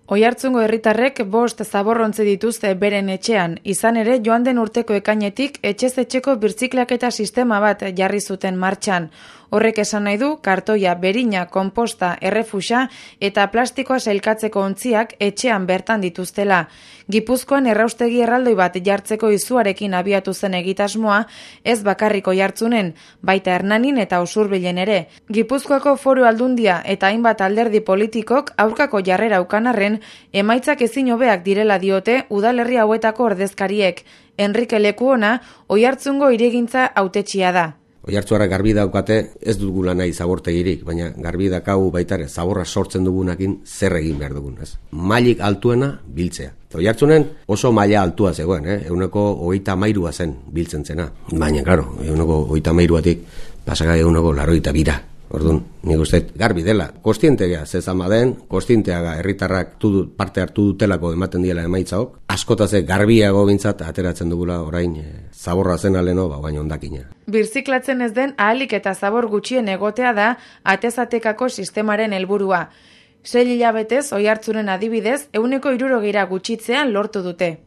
Oiartzungo herritarrek 5 zaborrontzi dituzte beren etxean, izan ere joan den urteko ekainetik etxez etxeko birziklaketa sistema bat jarri zuten martxan. Horrek esan nahi du kartoia, berina, konposta, errefusa eta plastikoa sailkatzeko ontziak etxean bertan dituztela. Gipuzkoan erraustegi erraldoi bat jartzeko izuarekin abiatu zen egitasmoa, ez bakarrik Oiartzunen, baita Hernanin eta Usurbilen ere. Gipuzkoako Foru Aldundia eta hainbat alderdi politikok aurkako jarrera ukanarren, emaitzak ezin hobeak direla diote udalerri hauetako ordezkariek. Enrique Lekuona Oiartzungo hirigintza hautetsia da. Oiartzuarrak garbi daukate ez dugula nahi zabortegirik, baina garbi dakau baitare zaborra sortzen dugunakin zer egin behar dugun, ez? Mailik altuena biltzea. Oiartzunen oso maila altua zegoen, 33 zen biltzen zena. Baina, claro, 33tik pasaka 82. Orduan, nik uste garbi dela, kostientegea zezama den, kostienteaga herritarrak parte hartu dutelako ematen diela emaitzaok, askotaz garbiago bintzat ateratzen dugula orain zaborra zen aleno, baina ondakina. Birziklatzen ez den ahalik eta zabor gutxien egotea da atezatekako sistemaren helburua. 6 hilabetez Oiartzunen adibidez, 60% gutxitzean lortu dute.